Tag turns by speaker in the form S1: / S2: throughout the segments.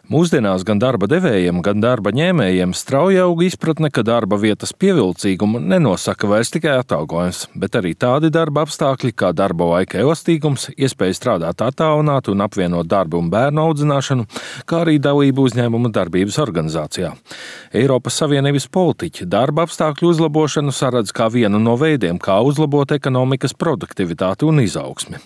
S1: Mūsdienās gan darba devējiem, gan darba ņēmējiem strauji aug izpratne, ka darba vietas pievilcīgumu nenosaka vairs tikai atalgojums, bet arī tādi darba apstākļi kā darba laika elastīgums, iespēja strādāt attālināti un apvienot darbu un bērnu audzināšanu, kā arī dalību uzņēmuma darbības organizācijā. Eiropas Savienības politiķi darba apstākļu uzlabošanu saredz kā vienu no veidiem, kā uzlabot ekonomikas produktivitāti un izaugsmi.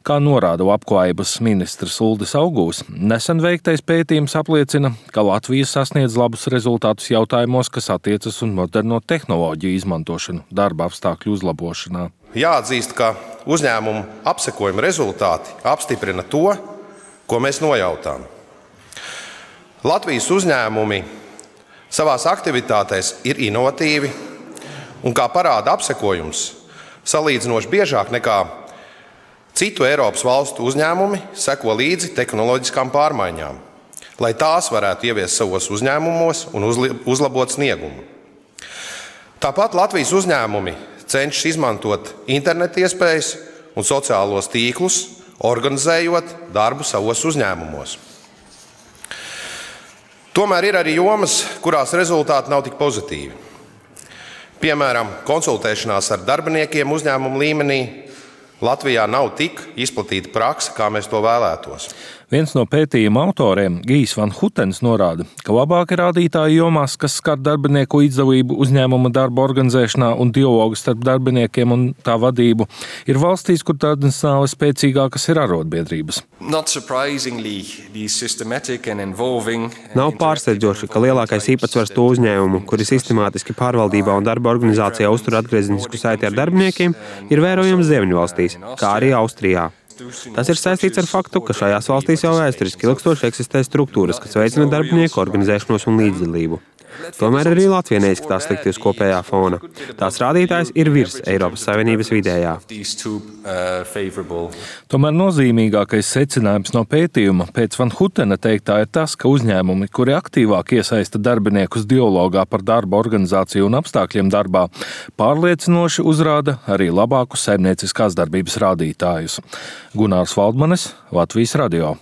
S1: Kā norāda Labklājības ministrs Uldis Augūs, nesen veiktais pētījums apliecina, ka Latvija sasniedz labus rezultātus jautājumos, kas attiecas uz moderno tehnoloģiju izmantošanu darba apstākļu uzlabošanā.
S2: Jāatzīst, ka uzņēmumu apsekojuma rezultāti apstiprina to, ko mēs nojautām. Latvijas uzņēmumi savās aktivitātēs ir inovatīvi un, kā parāda apsekojums, salīdzinoši biežāk nekā citu Eiropas valstu uzņēmumi seko līdzi tehnoloģiskām pārmaiņām, lai tās varētu ieviest savos uzņēmumos un uzlabot sniegumu. Tāpat Latvijas uzņēmumi cenšas izmantot internetu iespējas un sociālos tīklus, organizējot darbu savos uzņēmumos. Tomēr ir arī jomas, kurās rezultāti nav tik pozitīvi. Piemēram, konsultēšanās ar darbiniekiem uzņēmumu līmenī Latvijā nav tik izplatīta prakse, kā mēs to vēlētos.
S1: Viens no pētījuma autoriem, Gijs Van Hutens, norāda, ka labāki rādītāji jomās, kas skar darbinieku līdzdalību uzņēmuma darba organizēšanā un dialogu starp darbiniekiem un tā vadību, ir valstīs, kur tradicionāli spēcīgākas ir arotbiedrības.
S3: Nav pārsteidzoši, ka lielākais īpatsvars to uzņēmumu, kuri sistemātiski pārvaldībā un darba organizācijā uztur atgriezenisku saiti ar darbiniekiem, ir vērojams Ziemeļvalstīs, kā arī Austrijā. Tas ir saistīts ar faktu, ka šajās valstīs jau vēsturiski ilgstoši eksistē struktūras, kas veicina darbinieku organizēšanos un līdzdalību. Tomēr arī Latvija neizskatās slikti uz kopējā fona. Tās rādītājs ir virs Eiropas Savienības vidējā.
S1: Tomēr nozīmīgākais secinājums no pētījuma pēc Van Hutena teiktā ir tas, ka uzņēmumi, kuri aktīvāk iesaista darbiniekus dialogā par darba organizāciju un apstākļiem darbā, pārliecinoši uzrāda arī labākus saimnieciskās darbības rādītājus. Gunārs Valdmanis, Latvijas radio.